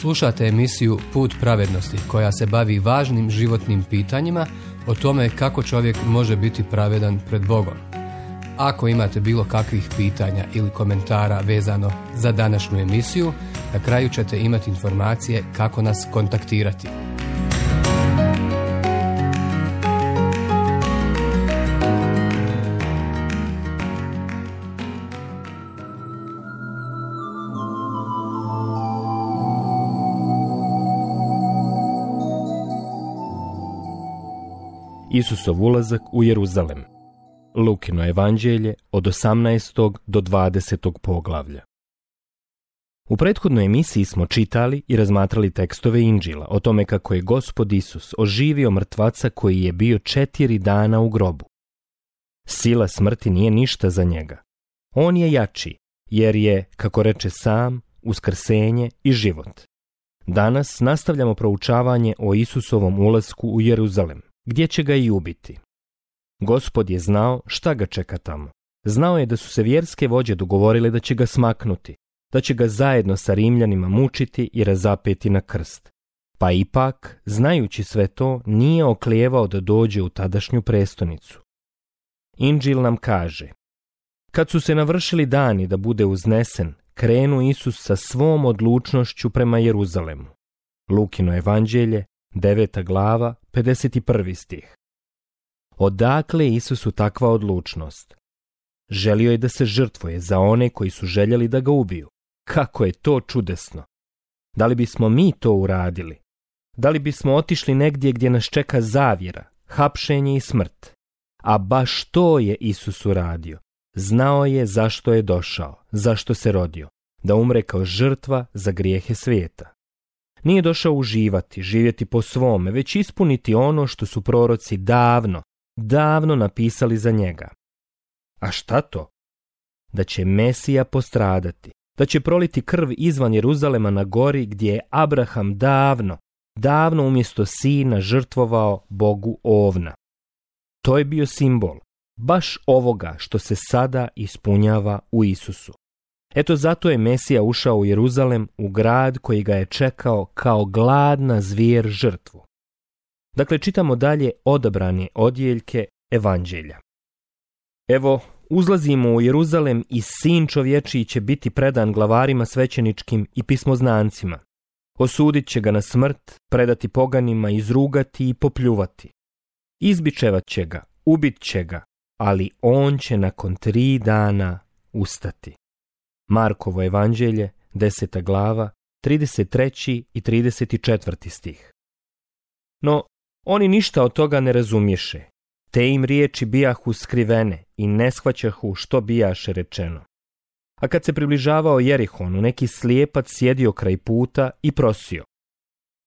Slušate emisiju Put pravednosti koja se bavi važnim životnim pitanjima o tome kako čovjek može biti pravedan pred Bogom. Ako imate bilo kakvih pitanja ili komentara vezano za današnju emisiju, na kraju ćete imati informacije kako nas kontaktirati. Isusov ulazak u Jeruzalem. Lukino evanđelje od 18. do 20. poglavlja. U prethodnoj emisiji smo čitali i razmatrali tekstove Inđila o tome kako je Gospod Isus oživio mrtvaca koji je bio 4 dana u grobu. Sila smrti nije ništa za njega. On je jači, jer je, kako reče sam, uskrsenje i život. Danas nastavljamo proučavanje o Isusovom ulasku u Jeruzalem, gdje će ga i ubiti. Gospod je znao šta ga čeka tamo. Znao je da su se vjerske vođe dogovorile da će ga smaknuti, da će ga zajedno sa Rimljanima mučiti i razapeti na krst. Pa ipak, znajući sve to, nije oklijevao da dođe u tadašnju prestonicu. Inđil nam kaže: kad su se navršili dani da bude uznesen, krenu Isus sa svom odlučnošću prema Jeruzalemu. Lukino evanđelje, 9. glava, 51. stih. Odakle Isusu takva odlučnost? Želio je da se žrtvuje za one koji su željeli da ga ubiju. Kako je to čudesno! Da li bismo mi to uradili? Da li bismo otišli negdje gdje nas čeka zavjera, hapšenje i smrt? A baš to je Isus uradio. Znao je zašto je došao, zašto se rodio, da umre kao žrtva za grijehe svijeta. Nije došao uživati, živjeti po svome, već ispuniti ono što su proroci davno napisali za njega. A šta to? Da će Mesija postradati, da će proliti krv izvan Jeruzalema na gori gdje je Abraham davno umjesto sina žrtvovao Bogu ovna. To je bio simbol baš ovoga što se sada ispunjava u Isusu. Eto zato je Mesija ušao u Jeruzalem, u grad koji ga je čekao kao gladna zvijer žrtvu. Dakle, čitamo dalje odabrane odjeljke evanđelja. Evo, uzlazimo u Jeruzalem i sin čovječiji će biti predan glavarima svećeničkim i pismoznancima. Osudit će ga na smrt, predati poganima, izrugati i popljuvati. Izbičevat će ga, ubit će ga, ali on će nakon 3 dana ustati. Markovo evanđelje, 10. glava, 33. i 34. stih. No, oni ništa od toga ne razumješe. Te im riječi bijahu skrivene i ne shvaćahu što bijaše rečeno. A kad se približavao Jerihonu, neki slijepac sjedio kraj puta i prosio.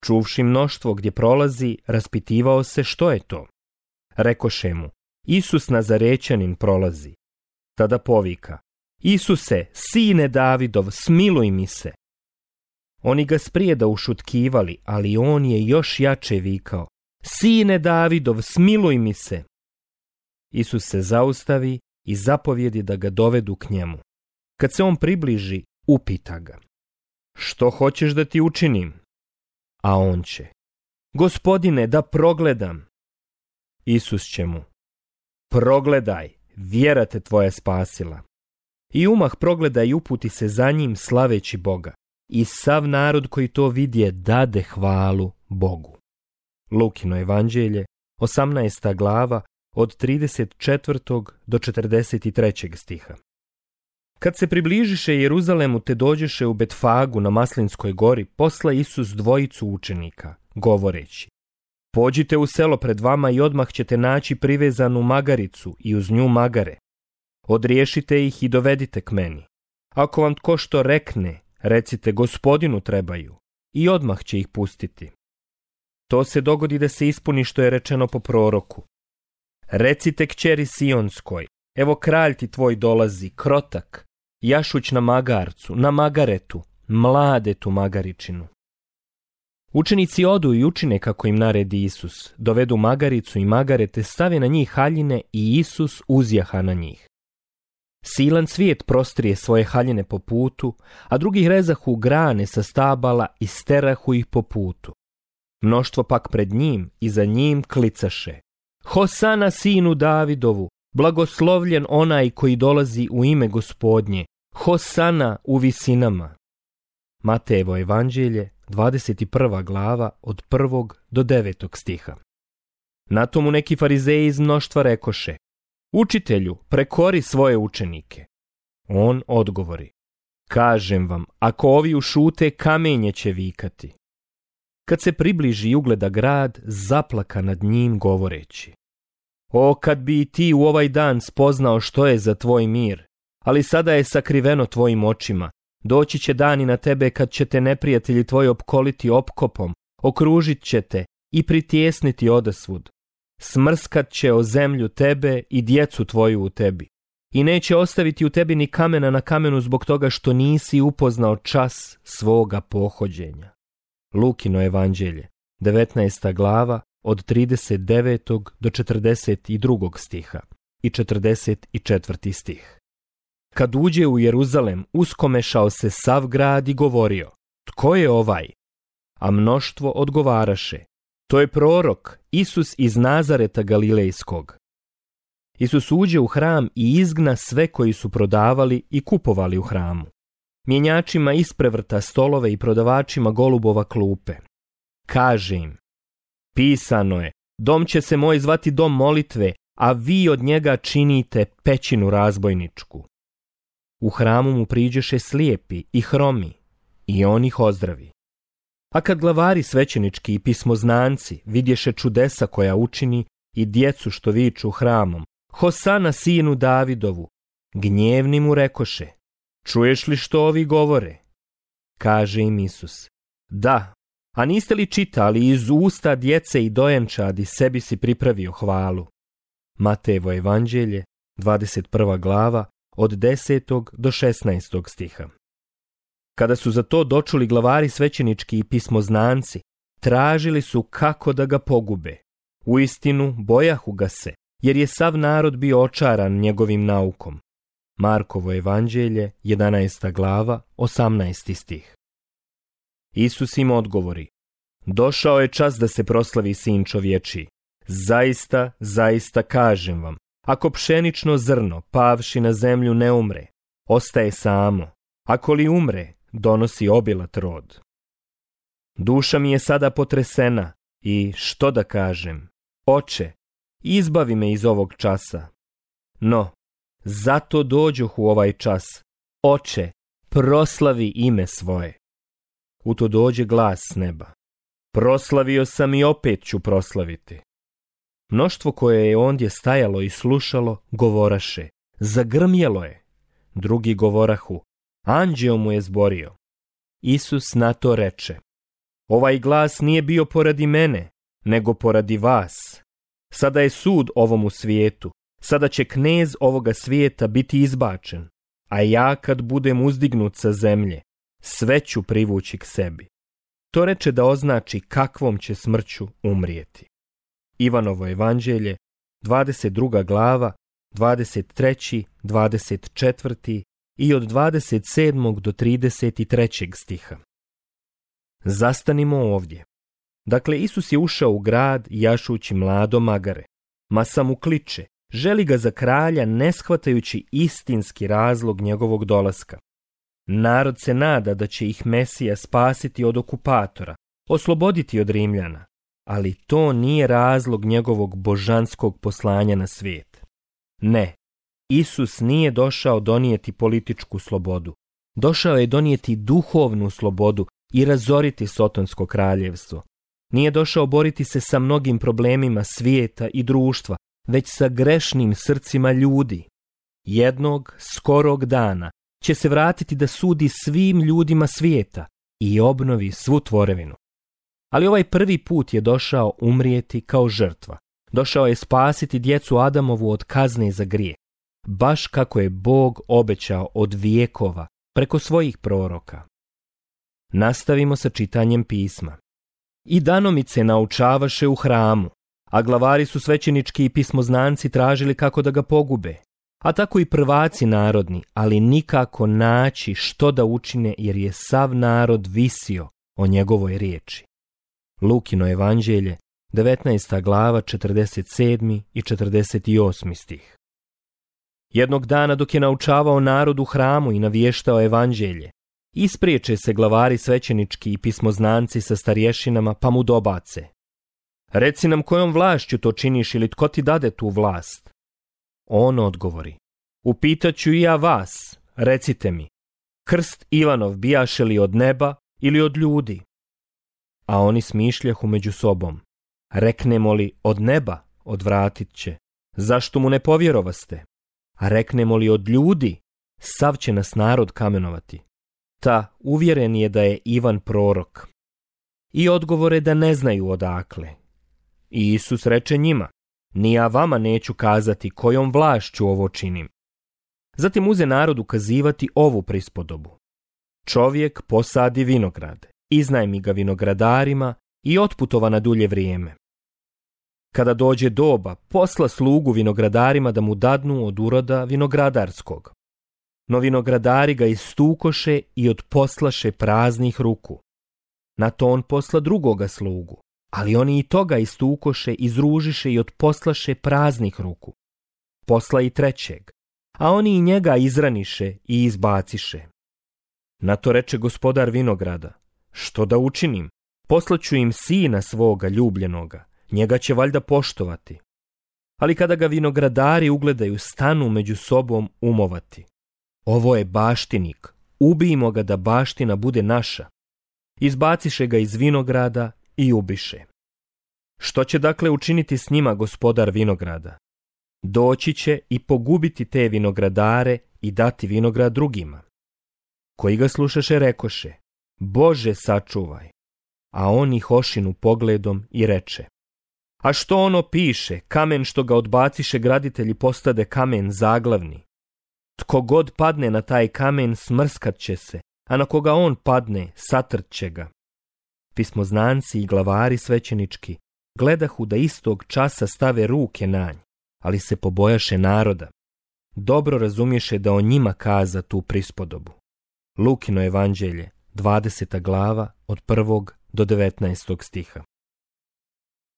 Čuvši mnoštvo gdje prolazi, raspitivao se što je to. Rekoše mu: Isus Nazarećanin prolazi. Tada povika: Isuse, sine Davidov, smiluj mi se. Oni ga sprijeda ušutkivali, ali on je još jače vikao: Sine Davidov, smiluj mi se. Isus se zaustavi i zapovjedi da ga dovedu k njemu. Kad se on približi, upita ga: Što hoćeš da ti učinim? A on će: Gospodine, da progledam. Isus će mu: Progledaj, vjera te tvoja spasila. I umah progleda i uputi se za njim slaveći Boga. I sav narod koji to vidje dade hvalu Bogu. Lukino evanđelje, 18. glava, od 34. do 43. stiha. Kad se približiše Jeruzalemu te dođeše u Betfagu na Maslinskoj gori, posla Isus 2 učenika, govoreći: Pođite u selo pred vama i odmah ćete naći privezanu magaricu i uz nju magare. Odriješite ih i dovedite k meni. Ako vam tko što rekne, recite: Gospodinu trebaju, i odmah će ih pustiti. To se dogodi da se ispuni što je rečeno po proroku. Recite kćeri Sionskoj: Evo kralj ti tvoj dolazi, krotak, jašuć na magarcu, na magaretu, mladetu magaričinu. Učenici odu i učine kako im naredi Isus, dovedu magaricu i magarete, stave na njih haljine i Isus uzjaha na njih. Silan cvijet prostrije svoje haljine po putu, a drugi rezahu grane sa stabala i sterahu ih po putu. Mnoštvo pak pred njim i za njim klicaše: Hosana sinu Davidovu, blagoslovljen onaj koji dolazi u ime Gospodnje, Hosana u visinama. Matejevo evanđelje, 21. glava, od 1. do 9. stiha. Na tomu neki farizeji iz mnoštva rekoše: Učitelju, prekori svoje učenike. On odgovori: Kažem vam, ako ovi ušute, kamenje će vikati. Kad se približi i ugleda grad, zaplaka nad njim govoreći: O, kad bi i ti u ovaj dan spoznao što je za tvoj mir, ali sada je sakriveno tvojim očima. Doći će dani na tebe kad će te neprijatelji tvoji opkoliti opkopom, okružit će te i pritjesniti odasvud. Smrskat će o zemlju tebe i djecu tvoju u tebi. I neće ostaviti u tebi ni kamena na kamenu zbog toga što nisi upoznao čas svoga pohođenja. Lukino evanđelje, 19. glava, od 39. do 42. stiha i 44. stih. Kad uđe u Jeruzalem, uskomešao se sav grad i govorio: Tko je ovaj? A mnoštvo odgovaraše: To je prorok, Isus iz Nazareta Galilejskog. Isus uđe u hram i izgna sve koji su prodavali i kupovali u hramu. Mjenjačima isprevrta stolove i prodavačima golubova klupe. Kaže im: Pisano je, dom će se moj zvati dom molitve, a vi od njega činite pećinu razbojničku. U hramu mu priđeše slijepi i hromi, i on ih ozdravi. A kad glavari svećenički i pismoznanci vidješe čudesa koja učini i djecu što viču hramom: Hosana sinu Davidovu, gnjevni mu rekoše: Čuješ li što ovi govore? Kaže im Isus: Da, a niste li čitali iz usta djece i dojenčadi sebi si pripravio hvalu? Matejevo evanđelje, 21. glava, od 10. do 16. stiha. Kada su za to dočuli glavari svećenički i pismoznanci, tražili su kako da ga pogube. Uistinu, bojahu ga se, jer je sav narod bio očaran njegovim naukom. Markovo evanđelje, 11. glava, 18. stih. Isus im odgovori: Došao je čas da se proslavi sin čovječiji. Zaista, zaista kažem vam, ako pšenično zrno, pavši na zemlju, ne umre, ostaje samo. Ako li umre, donosi obilat rod. Duša mi je sada potresena i što da kažem? Oče, izbavi me iz ovog časa. No, zato dođoh u ovaj čas. Oče, proslavi ime svoje. U to dođe glas s neba: Proslavio sam i opet ću proslaviti. Mnoštvo koje je ondje stajalo i slušalo govoraše: Zagrmjelo je. Drugi govorahu: Anđeo mu je zborio. Isus na to reče: Ovaj glas nije bio poradi mene, nego poradi vas. Sada je sud ovomu svijetu, sada će knez ovoga svijeta biti izbačen, a ja kad budem uzdignut sa zemlje, sve ću privući k sebi. To reče da označi kakvom će smrću umrijeti. Ivanovo evanđelje, 22. glava, 23., 24. i od 27. do 33. stiha. Zastanimo ovdje. Dakle, Isus je ušao u grad jašući mlado magare. Masa mu kliče, želi ga za kralja, ne shvatajući istinski razlog njegovog dolaska. Narod se nada da će ih Mesija spasiti od okupatora, osloboditi od Rimljana, ali to nije razlog njegovog božanskog poslanja na svijet. Ne, Isus nije došao donijeti političku slobodu. Došao je donijeti duhovnu slobodu i razoriti Sotonsko kraljevstvo. Nije došao boriti se sa mnogim problemima svijeta i društva, već sa grešnim srcima ljudi. Jednog skorog dana će se vratiti da sudi svim ljudima svijeta i obnovi svu tvorevinu. Ali ovaj prvi put je došao umrijeti kao žrtva. Došao je spasiti djecu Adamovu od kazne za grijeh, baš kako je Bog obećao od vijekova preko svojih proroka. Nastavimo sa čitanjem pisma. I danomice naučavaše u hramu, a glavari su svećenički i pismoznanci tražili kako da ga pogube. a tako i prvaci narodni, ali nikako naći što da učine jer je sav narod visio o njegovoj riječi. Lukino evanđelje, 19. glava, 47. i 48. stih. Jednog dana dok je naučavao narod u hramu i navještao evanđelje, ispriječe se glavari svećenički i pismoznanci sa starješinama pa mu dobace: Reci nam kojom vlašću to činiš ili tko ti dade tu vlast? On odgovori: Upitaću i ja vas, recite mi, krst Ivanov bijaše li od neba ili od ljudi? A oni smišljahu među sobom: Reknemo li od neba, odvratit će, zašto mu ne povjerovaste? A reknemo li od ljudi, sav će nas narod kamenovati. Ta uvjeren je da je Ivan prorok. I odgovore da ne znaju odakle. I Isus reče njima: Ni ja vama neću kazati kojom vlašću ovo činim. Zatim uze narod ukazivati ovu prispodobu. Čovjek posadi vinograd, iznajmi ga vinogradarima i otputova na dulje vrijeme. Kada dođe doba, posla slugu vinogradarima da mu dadnu od uroda vinogradarskog. No vinogradari ga istukoše i odposlaše praznih ruku. Na to on posla drugoga slugu, ali oni i toga istukoše, izružiše i odposlaše praznih ruku. Posla i trećeg, a oni i njega izraniše i izbaciše. Na to reče gospodar vinograda: Što da učinim? Poslaću im sina svoga ljubljenoga, njega će valjda poštovati. Ali kada ga vinogradari ugledaju, stanu među sobom umovati: Ovo je baštinik, ubijmo ga da baština bude naša. Izbaciše ga iz vinograda i ubiše. Što će dakle učiniti s njima gospodar vinograda? Doći će i pogubiti te vinogradare i dati vinograd drugima. Koji ga slušaše rekoše: Bože sačuvaj. A on ih ošinu pogledom i reče: A što ono piše, kamen što ga odbaciše graditelji postade kamen zaglavni. Tko god padne na taj kamen smrskat će se, a na koga on padne satrt će ga. Pismoznanci i glavari svećenički gledahu da istog časa stave ruke na nj, ali se pobojaše naroda. Dobro razumješe da o njima kaza tu prispodobu. Lukino evanđelje, 20. glava, od 1. do 19. stiha.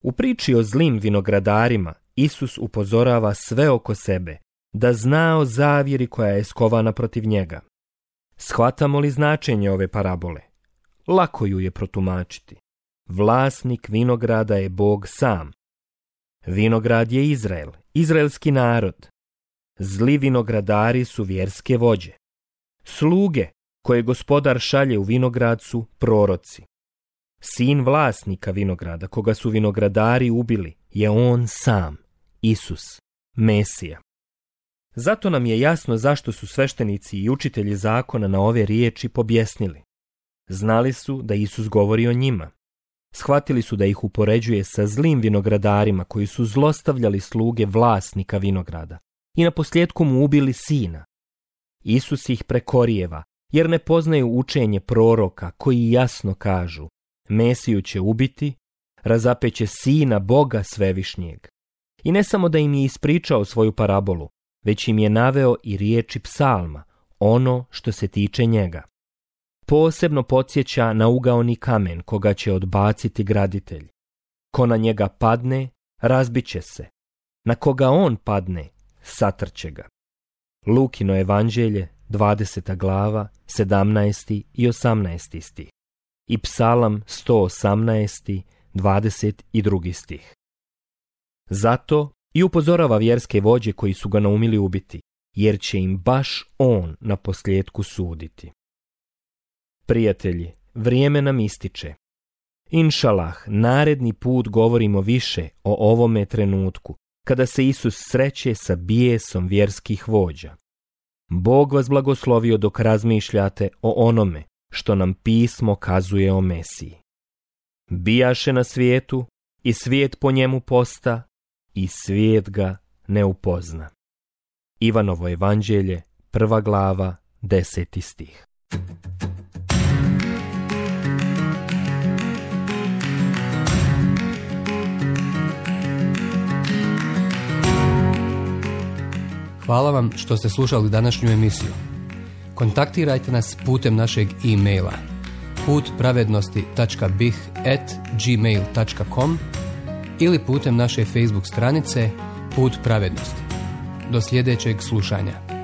U priči o zlim vinogradarima Isus upozorava sve oko sebe da zna o zavjeri koja je skovana protiv njega. Shvatamo li značenje ove parabole? Lako ju je protumačiti. Vlasnik vinograda je Bog sam. Vinograd je Izrael, izraelski narod. Zli vinogradari su vjerske vođe. Sluge koje gospodar šalje u vinograd su proroci. Sin vlasnika vinograda, koga su vinogradari ubili, je on sam, Isus, Mesija. Zato nam je jasno zašto su sveštenici i učitelji zakona na ove riječi pobjesnili. Znali su da Isus govori o njima. Shvatili su da ih upoređuje sa zlim vinogradarima koji su zlostavljali sluge vlasnika vinograda i naposljetku mu ubili sina. Isus ih prekorijeva jer ne poznaju učenje proroka koji jasno kažu: Mesiju će ubiti, razapeće sina Boga svevišnjeg. I ne samo da im je ispričao svoju parabolu, već im je naveo i riječi psalma, ono što se tiče njega. Posebno podsjeća na ugaoni kamen koga će odbaciti graditelj. Ko na njega padne, razbiće se. Na koga on padne, satrće ga. Lukino evanđelje, 20. glava, 17. i 18. stih. I psalam 118. 22. stih. Zato i upozorava vjerske vođe koji su ga naumili ubiti, jer će im baš on na posljedku suditi. Prijatelji, vrijeme nam ističe. Inšalah, naredni put govorimo više o ovome trenutku, kada se Isus sreće sa bijesom vjerskih vođa. Bog vas blagoslovio dok razmišljate o onome što nam pismo kazuje o Mesiji. Bijaše na svijetu i svijet po njemu posta i svijet ga ne upozna. Ivanovo evanđelje, 1. glava, 10. stih. Hvala vam što ste slušali današnju emisiju. Kontaktirajte nas putem našeg e-maila putpravednosti.bih@gmail.com ili putem naše Facebook stranice Put pravednosti. Do sljedećeg slušanja.